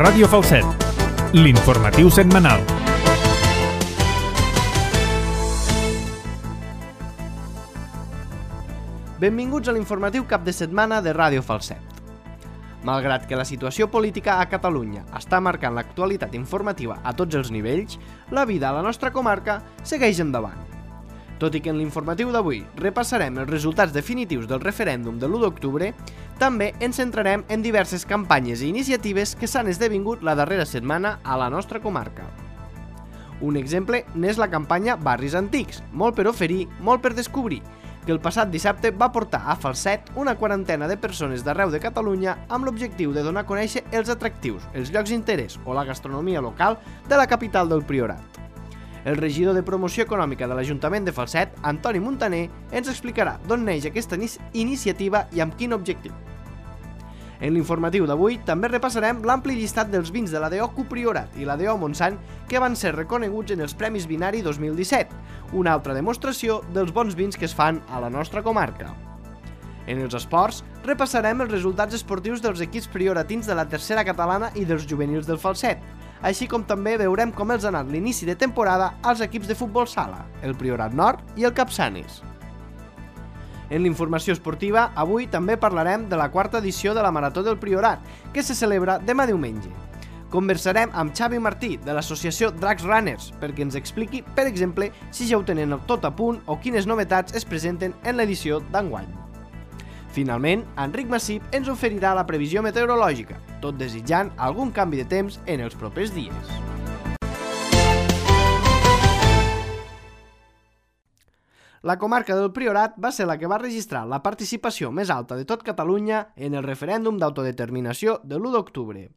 Ràdio Falset, l'informatiu setmanal. Benvinguts a l'informatiu cap de setmana de Ràdio Falset. Malgrat que la situació política a Catalunya està marcant l'actualitat informativa a tots els nivells, la vida a la nostra comarca segueix endavant. Tot i que en l'informatiu d'avui repassarem els resultats definitius del referèndum de l'1 d'octubre, també ens centrarem en diverses campanyes i iniciatives que s'han esdevingut la darrera setmana a la nostra comarca. Un exemple n'és la campanya Barris Antics, molt per oferir, molt per descobrir, que el passat dissabte va portar a Falset una quarantena de persones d'arreu de Catalunya amb l'objectiu de donar a conèixer els atractius, els llocs d'interès o la gastronomia local de la capital del Priorat. El regidor de Promoció Econòmica de l'Ajuntament de Falset, Antoni Muntaner, ens explicarà d'on neix aquesta iniciativa i amb quin objectiu. En l'informatiu d'avui també repassarem l'ampli llistat dels vins de la DO Priorat i la DO Montsant que van ser reconeguts en els Premis Vinari 2017, una altra demostració dels bons vins que es fan a la nostra comarca. En els esports, repassarem els resultats esportius dels equips prioratins de la tercera catalana i dels juvenils del Falset, així com també veurem com els ha anat l'inici de temporada als equips de futbol sala, el Priorat Nord i el Capçanes. En l'informació esportiva, avui també parlarem de la quarta edició de la Marató del Priorat, que se celebra demà diumenge. Conversarem amb Xavi Martí, de l'associació Dracs Runners, perquè ens expliqui, per exemple, si ja ho tenen tot a punt o quines novetats es presenten en l'edició d'enguany. Finalment, Enric Massip ens oferirà la previsió meteorològica, tot desitjant algun canvi de temps en els propers dies. La comarca del Priorat va ser la que va registrar la participació més alta de tot Catalunya en el referèndum d'autodeterminació de l'1 d'octubre.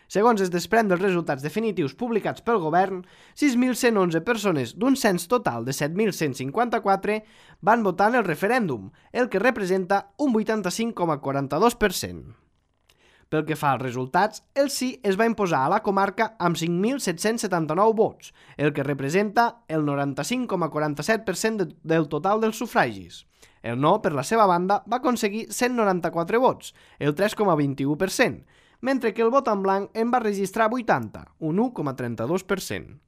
Segons es desprèn dels resultats definitius publicats pel govern, 6.111 persones d'un cens total de 7.154 van votar en el referèndum, el que representa un 85,42%. Pel que fa als resultats, el sí es va imposar a la comarca amb 5.779 vots, el que representa el 95,47% del total dels sufragis. El no, per la seva banda, va aconseguir 194 vots, el 3,21%, mentre que el vot en blanc en va registrar 80, un 1,32%.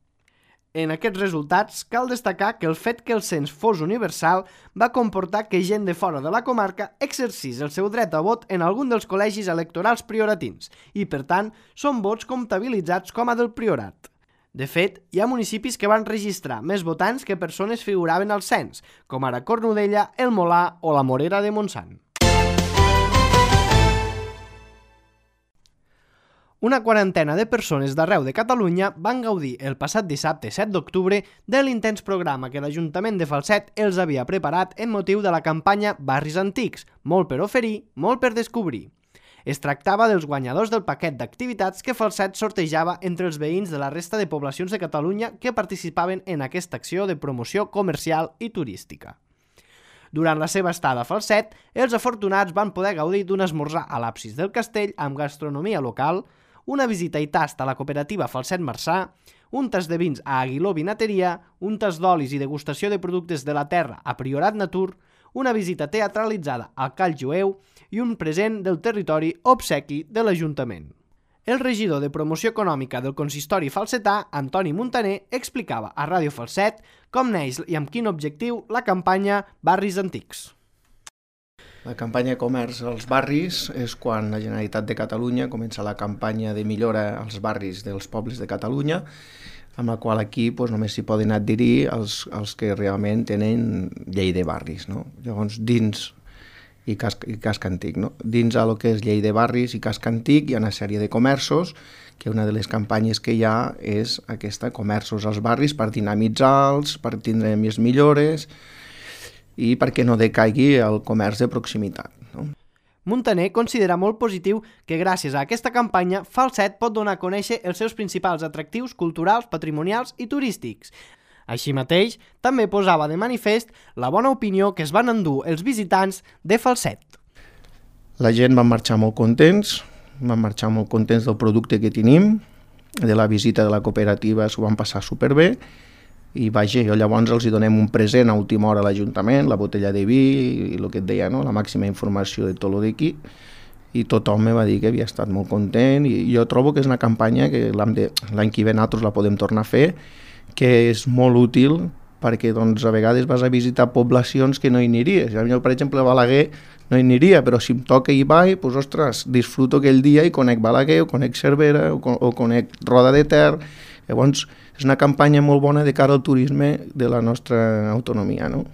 En aquests resultats, cal destacar que el fet que el cens fos universal va comportar que gent de fora de la comarca exercís el seu dret a vot en algun dels col·legis electorals prioratins i, per tant, són vots comptabilitzats com a del Priorat. De fet, hi ha municipis que van registrar més votants que persones figuraven al cens, com ara Cornudella, el Molar o la Morera de Montsant. Una quarantena de persones d'arreu de Catalunya van gaudir el passat dissabte 7 d'octubre de l'intens programa que l'Ajuntament de Falset els havia preparat en motiu de la campanya Barris Antics, molt per oferir, molt per descobrir. Es tractava dels guanyadors del paquet d'activitats que Falset sortejava entre els veïns de la resta de poblacions de Catalunya que participaven en aquesta acció de promoció comercial i turística. Durant la seva estada a Falset, els afortunats van poder gaudir d'un esmorzar a l'absis del castell amb gastronomia local, una visita i tast a la cooperativa Falset Marçà, un tas de vins a Aguiló Vinateria, un tas d'olis i degustació de productes de la terra a Priorat Natur, una visita teatralitzada al Call Jueu i un present del territori obsequi de l'Ajuntament. El regidor de Promoció Econòmica del consistori falsetà, Antoni Muntaner, explicava a Ràdio Falset com neix i amb quin objectiu la campanya Barris Antics. La campanya de comerç als barris és quan la Generalitat de Catalunya comença la campanya de millora als barris dels pobles de Catalunya, amb la qual aquí només s'hi poden adherir els que realment tenen llei de barris. No? Llavors, dins i casc antic. No? Dins el que és llei de barris i casc antic hi ha una sèrie de comerços, que una de les campanyes que hi ha és aquesta, comerços als barris, per dinamitzar-los, per tindre més millores i perquè no decaigui el comerç de proximitat. No? Muntaner considera molt positiu que gràcies a aquesta campanya Falset pot donar a conèixer els seus principals atractius culturals, patrimonials i turístics. Així mateix, també posava de manifest la bona opinió que es van endur els visitants de Falset. La gent va marxar molt contents del producte que tenim, de la visita de la cooperativa s'ho van passar superbé, i vaja, llavors els donem un present a última hora a l'Ajuntament, la botella de vi i el que et deia, no? La màxima informació de tot el d'aquí, i tothom me va dir que havia estat molt content i jo trobo que és una campanya que l'any que ve nosaltres la podem tornar a fer, que és molt útil perquè doncs, a vegades vas a visitar poblacions que no hi aniries. Jo, per exemple, a Balaguer no hi aniria, però si em toca hi vaig, doncs, ostres, disfruto aquell dia i conec Balaguer, o conec Cervera, o conec Roda de Ter. Llavors, és una campanya molt bona de cara al turisme de la nostra autonomia, no?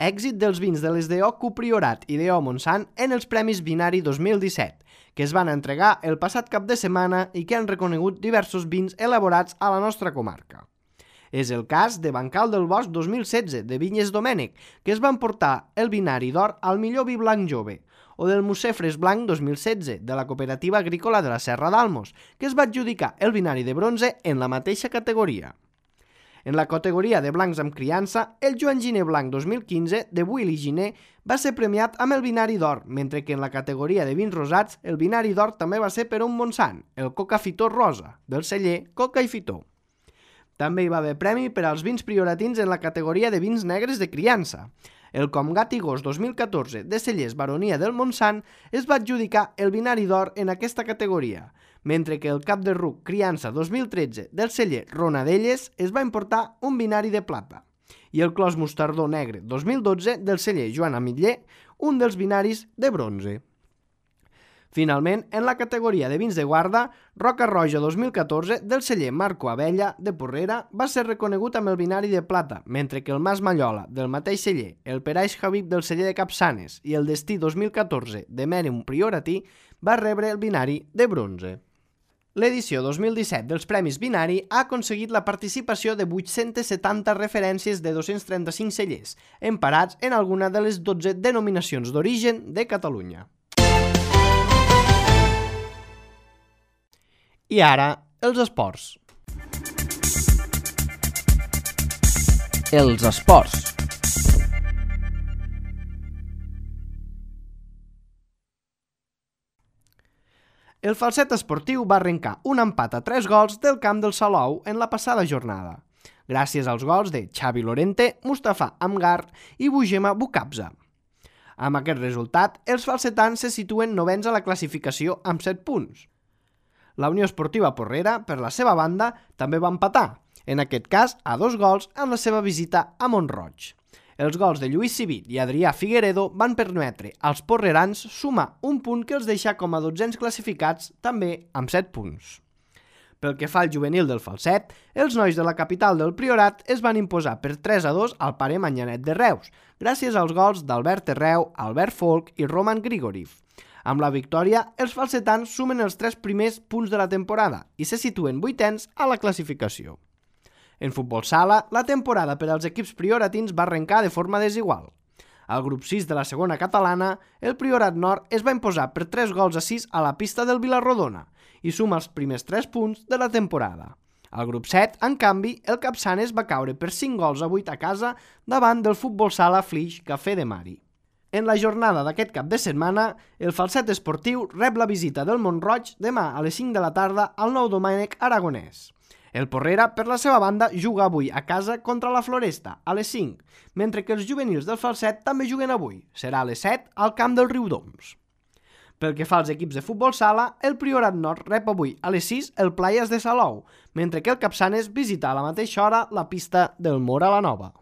Èxit dels vins de les DO Cupriorat i DO Montsant en els Premis Vinari 2017, que es van entregar el passat cap de setmana i que han reconegut diversos vins elaborats a la nostra comarca. És el cas de Bancal del Bosc 2016, de Vinyes Domènec, que es van portar el Vinari d'Or al millor vi blanc jove, o del Mucefres Blanc 2016, de la Cooperativa Agrícola de la Serra d'Almos, que es va adjudicar el Vinari de bronze en la mateixa categoria. En la categoria de blancs amb criança, el Joan Giner Blanc 2015 de Willy Giner va ser premiat amb el Vinari d'Or, mentre que en la categoria de vins rosats el Vinari d'Or també va ser per un Montsant, el Coca Fitó Rosa, del celler Coca i Fitó. També hi va haver premi per als vins prioratins en la categoria de vins negres de criança. El Comgat i Gos 2014 de Cellers Baronia del Montsant es va adjudicar el Vinari d'Or en aquesta categoria, mentre que el Cap de Ruc Criança 2013 del celler Ronadelles es va importar un Vinari de plata, i el Clos Mostardó Negre 2012 del celler Joan Amitller, un dels vinaris de bronze. Finalment, en la categoria de vins de guarda, Roca Roja 2014 del celler Marco Abella de Porrera va ser reconegut amb el Vinari de plata, mentre que el Mas Mallola del mateix celler, el Peraix Habib del celler de Capçanes i el Destí 2014 de Mèrium Prioratí va rebre el Vinari de bronze. L'edició 2017 dels Premis Vinari ha aconseguit la participació de 870 referències de 235 cellers, emparats en alguna de les 12 denominacions d'origen de Catalunya. I ara, els esports. Els esports. El Falset esportiu va arrencar un empat a 3 gols del camp del Salou en la passada jornada, gràcies als gols de Xavi Lorente, Mustafa Amgar i Bujema Bukabza. Amb aquest resultat, els falsetans se situen novens a la classificació amb 7 punts. La Unió Esportiva Porrera, per la seva banda, també va empatar, en aquest cas a 2 gols amb la seva visita a Mont-roig. Els gols de Lluís Civit i Adrià Figueredo van permetre als porrerans sumar un punt que els deixa com a 12ens classificats, també amb 7 punts. Pel que fa al juvenil del Falset, els nois de la capital del Priorat es van imposar per 3-2 al Pare Manyanet de Reus, gràcies als gols d'Albert Terreu, Albert Folk i Roman Grigoriev. Amb la victòria, els falsetans sumen els 3 primers punts de la temporada i se situen 8ens a la classificació. En futbol sala, la temporada per als equips prioratins va arrencar de forma desigual. Al grup 6 de la segona catalana, el Priorat Nord es va imposar per 3-6 a la pista del Vilarrodona i suma els primers 3 punts de la temporada. Al grup 7, en canvi, el Capçanes va caure per 5-8 a casa davant del futbol sala Flix Café de Mari. En la jornada d'aquest cap de setmana, el Falset esportiu rep la visita del Mont-roig demà a les 5 de la tarda al Nou Domènec Aragonès. El Porrera, per la seva banda, juga avui a casa contra la Floresta, a les 5, mentre que els juvenils del Falset també juguen avui. Serà a les 7 al camp del Riudoms. Pel que fa als equips de futbol sala, el Priorat Nord rep avui a les 6 el Playas de Salou, mentre que el Capçanes visita a la mateixa hora la pista del Mora la Nova.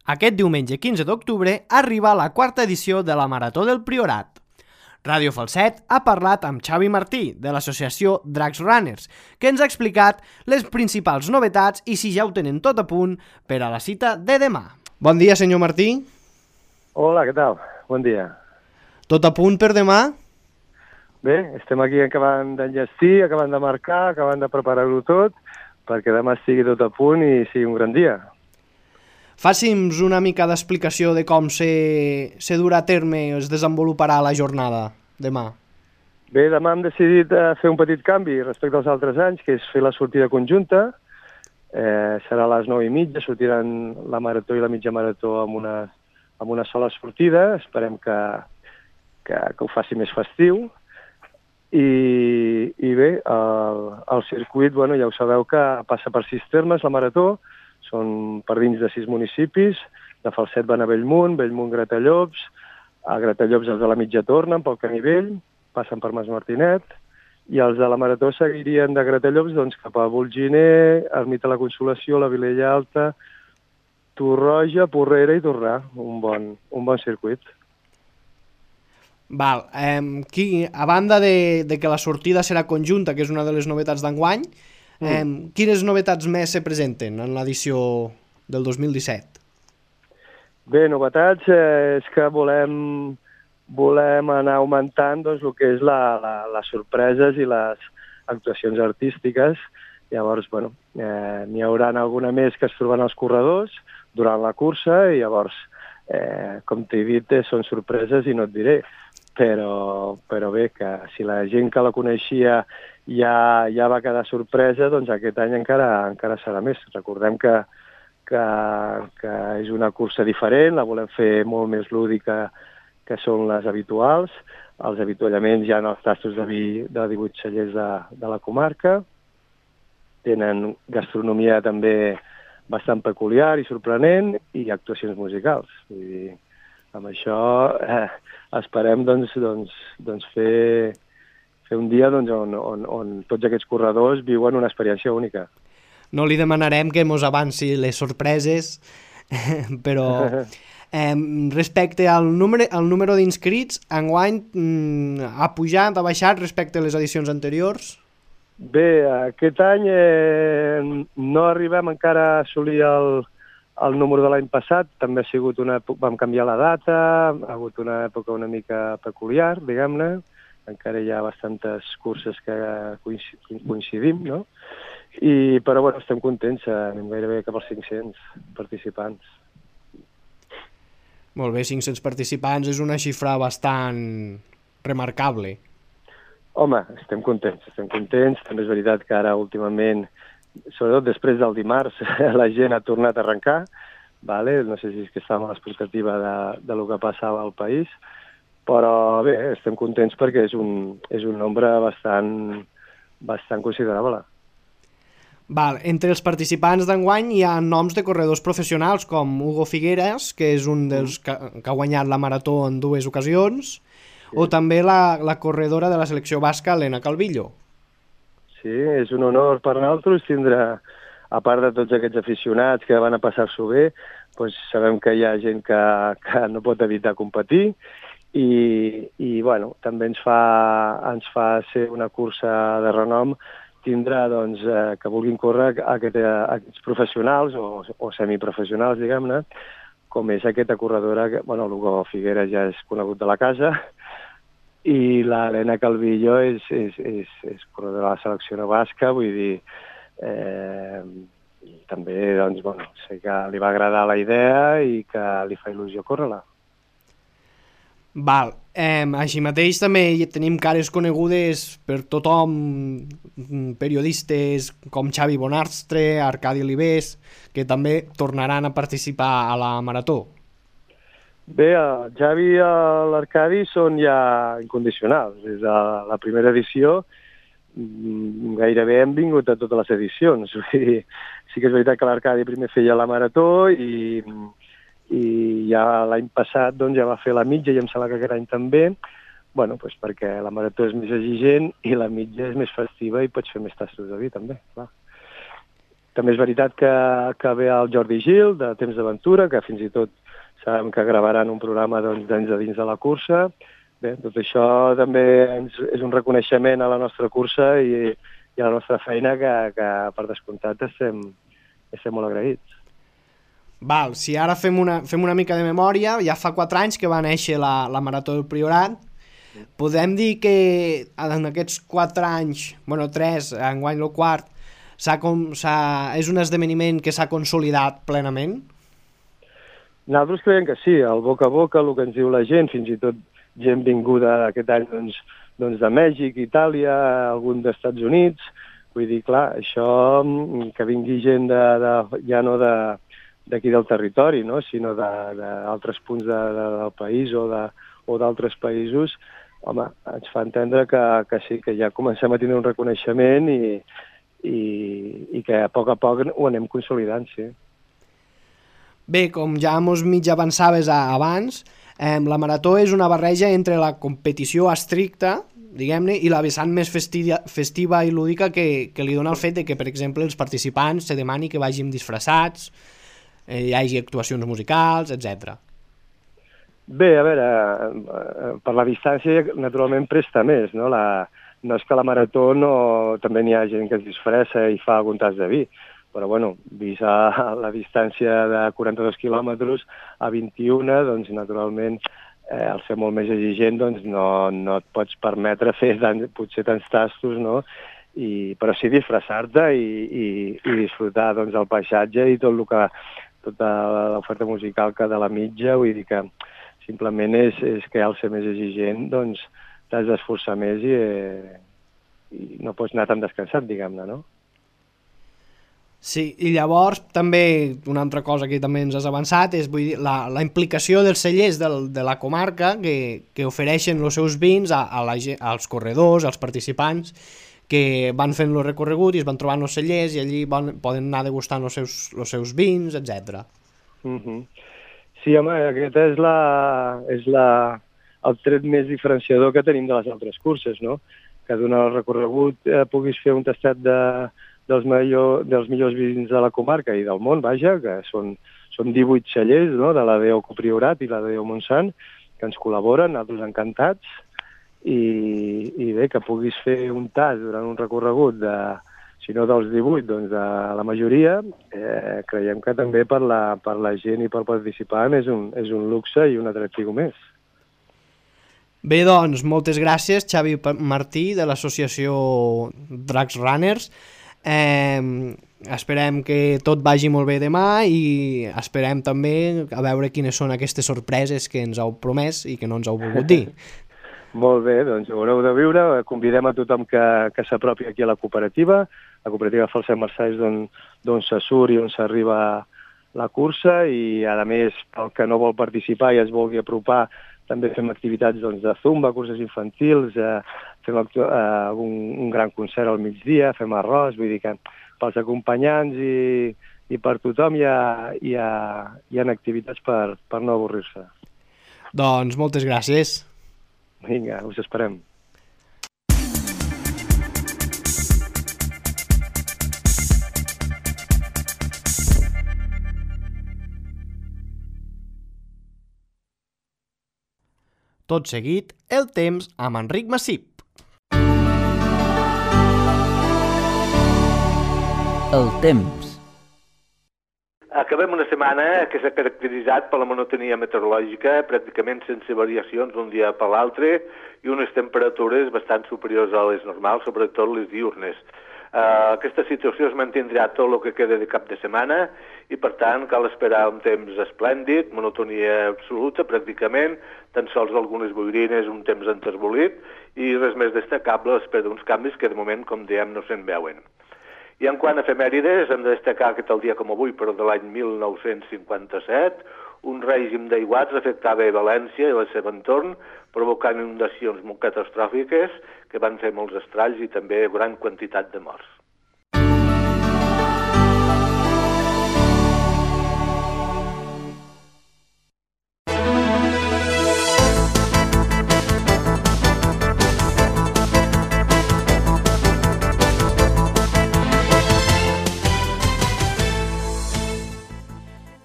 Aquest diumenge 15 d'octubre arriba la 4ª edició de la Marató del Priorat. Ràdio Falset ha parlat amb Xavi Martí, de l'associació Drags Runners, que ens ha explicat les principals novetats i si ja ho tenen tot a punt per a la cita de demà. Bon dia, senyor Martí. Hola, què tal? Bon dia. Tot a punt per demà? Bé, estem aquí acabant d'enllestir, acabant de marcar, acabant de preparar-ho tot, perquè demà estigui tot a punt i sigui un gran dia. Faci'ns una mica d'explicació de com se durà a terme i es desenvoluparà la jornada demà. Bé, demà hem decidit fer un petit canvi respecte als altres anys, que és fer la sortida conjunta. Serà a les 9:30, sortiran la marató i la mitja marató amb una sola sortida. Esperem que ho faci més festiu. I bé, el circuit, bueno, ja ho sabeu que passa per 6 termes, la marató, són per dins de 6 municipis, de Falset van a Bellmunt, Bellmunt Gratallops, a Gratallops els de la mitja tornen pel camí vell, passen per Mas Martinet, i els de la marató seguirien de Gratallops doncs, cap a Volginer, Ermita de la Consolació, la Vilella Alta, Torroja, Porrera i Torrà, un bon circuit. Val. A banda de que la sortida serà conjunta, que és una de les novetats d'enguany, quines novetats més se presenten en l'edició del 2017? Bé, novetats és que volem anar augmentant doncs, el que és les sorpreses i les actuacions artístiques. Llavors, bueno, n'hi haurà alguna més que es troben els corredors durant la cursa i llavors, com t'he dit, són sorpreses i no et diré. Però bé, que si la gent que la coneixia ja va quedar sorpresa, doncs aquest any encara serà més. Recordem que és una cursa diferent, la volem fer molt més lúdica que són les habituals. Els avituallaments hi ha els tastos de 18 cellers de la comarca. Tenen gastronomia també bastant peculiar i sorprenent i actuacions musicals. Vull dir, amb això esperem fer un dia on tots aquests corredors viuen una experiència única. No li demanarem que mos avanci les sorpreses, però respecte al número d'inscrits, enguany ha pujat, ha baixat respecte a les edicions anteriors? Bé, aquest any no arribem encara a assolir el número de l'any passat. També ha sigut vam canviar la data, ha hagut una època una mica peculiar, diguem-ne. Encara hi ha bastantes curses que coincidim, no? Però bueno, estem contents, anem gairebé cap als 500 participants. Molt bé, 500 participants és una xifra bastant remarcable. Home, estem contents. També és veritat que ara últimament, sobretot després del dimarts, la gent ha tornat a arrencar. Vale? No sé si és que estàvem a l'expectativa de lo que passava al país, però bé, estem contents perquè és un nombre bastant considerable. Val. Entre els participants d'enguany hi ha noms de corredors professionals com Hugo Figueras, que és un dels que ha guanyat la marató en 2 ocasions, o també la corredora de la selecció basca, Helena Calvillo. Sí, és un honor per nosaltres tindre, a part de tots aquests aficionats que van a passar-s'ho bé, doncs sabem que hi ha gent que no pot evitar competir i bueno, també ens fa ser una cursa de renom tindrà doncs, que vulguin córrer aquests professionals o semiprofessionals, diguem-ne, com és aquesta corredora, l'Hugo Figueras ja és conegut de la casa, i l'Helena Calvillo és corredora de la selecció basca, vull dir, també doncs, sé que li va agradar la idea i que li fa il·lusió córrer-la. Val. Així mateix també tenim cares conegudes per tothom, periodistes com Xavi Bonastre, Arcadi Olivés, que també tornaran a participar a la marató. Bé, el Xavi i l'Arcadi són ja incondicionals. Des de la primera edició gairebé hem vingut a totes les edicions. Sí que és veritat que l'Arcadi primer feia la marató i ja l'any passat ja va fer la mitja i em sembla que aquest any també, perquè la marató és més exigent i la mitja és més festiva i pots fer més tastos de vi també, clar. També és veritat que ve el Jordi Gil, de Temps d'Aventura, que fins i tot sabem que gravaran un programa dins de la cursa. Bé, tot això també és un reconeixement a la nostra cursa i a la nostra feina que per descomptat estem molt agraïts. Val, si ara fem una mica de memòria, ja fa 4 anys que va néixer la Marató del Priorat. Podem dir que en aquests 4 anys, 3, enguany el quart, és un esdeveniment que s'ha consolidat plenament? Nosaltres creiem que sí, el boca a boca, el que ens diu la gent, fins i tot gent vinguda aquest any de Mèxic, Itàlia, algun d'Estats Units. Vull dir, clar, això que vingui gent ja no d'aquí del territori, no? Sinó d'altres punts del país o d'altres països, home, ens fa entendre que sí, que ja comencem a tenir un reconeixement i que a poc ho anem consolidant, sí. Bé, com ja mos mig avançaves abans, la marató és una barreja entre la competició estricta, diguem-ne, i la vessant més festiva i lúdica que li dona el fet de que, per exemple, els participants se demani que vagin disfressats, hi hagi actuacions musicals, etc. Bé, a veure, per la distància naturalment presta més, no? No és que la marató també n'hi ha gent que es disfressa i fa algun tas de vi, però bueno, vist la distància de 42 quilòmetres a 21, doncs naturalment al ser molt més exigent doncs no et pots permetre fer potser tants tastos, no? Però sí disfressar-te i disfrutar doncs, el paisatge i tota l'oferta musical que de la mitja, vull dir que simplement és que al ser més exigent doncs t'has d'esforçar més i no pots anar tan descansat, diguem-ne, no? Sí, i llavors també una altra cosa que també ens has avançat és, vull dir, la implicació dels cellers de la comarca que ofereixen els seus vins als corredors, als participants que van fent el recorregut i es van trobant els cellers i allí poden anar degustant els seus vins, etc. Sí, home, aquest és el tret més diferenciador que tenim de les altres curses, no? Que durant el recorregut puguis fer un tastat dels millors vins de la comarca i del món, vaja, que són 18 cellers, no?, de la DO Copriorat i la DO Montsant, que ens col·laboren, nosaltres encantats, i bé, que puguis fer un tas durant un recorregut si no dels 18, doncs de la majoria, creiem que també per la gent i pel participant és un luxe i un atractiu més. Bé, doncs, moltes gràcies, Xavi Martí, de l'associació Drags Runners. Esperem que tot vagi molt bé demà i esperem també a veure quines són aquestes sorpreses que ens heu promès i que no ens heu volgut dir. Molt bé, doncs ho haureu de viure. Convidem a tothom que s'apropi aquí a la cooperativa Falset Marçais, d'on se surt i on s'arriba la cursa, i a més, el que no vol participar i es vulgui apropar, també fem activitats de zumba, curses infantils, fem un gran concert al migdia, fem arròs, vull dir que pels acompanyants i per tothom hi ha activitats per no avorrir-se. Doncs moltes gràcies. Vinga, us esperem. Tot seguit, el temps amb Enric Massip. El temps. Acabem una setmana que s'ha caracteritzat per la monotonia meteorològica, pràcticament sense variacions d'un dia per l'altre, i unes temperatures bastant superiors a les normals, sobretot les diurnes. Aquesta situació es mantindrà tot el que queda de cap de setmana i, per tant, cal esperar un temps esplèndid, monotonia absoluta pràcticament, tan sols algunes boirines, un temps enterbolit i res més destacable a l'espera d'uns canvis que de moment, com diem, no se'n veuen. I en quant a efemèrides, hem de destacar que tal dia com avui, però de l'any 1957, un règim d'aiguats afectava a València i el seu entorn, provocant inundacions molt catastròfiques que van fer molts estralls i també gran quantitat de morts.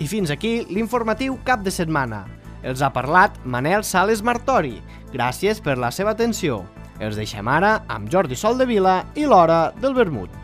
I fins aquí l'informatiu cap de setmana. Els ha parlat Manel Sales Martori. Gràcies per la seva atenció. Els deixem ara amb Jordi Soldevila i l'Hora del Vermut.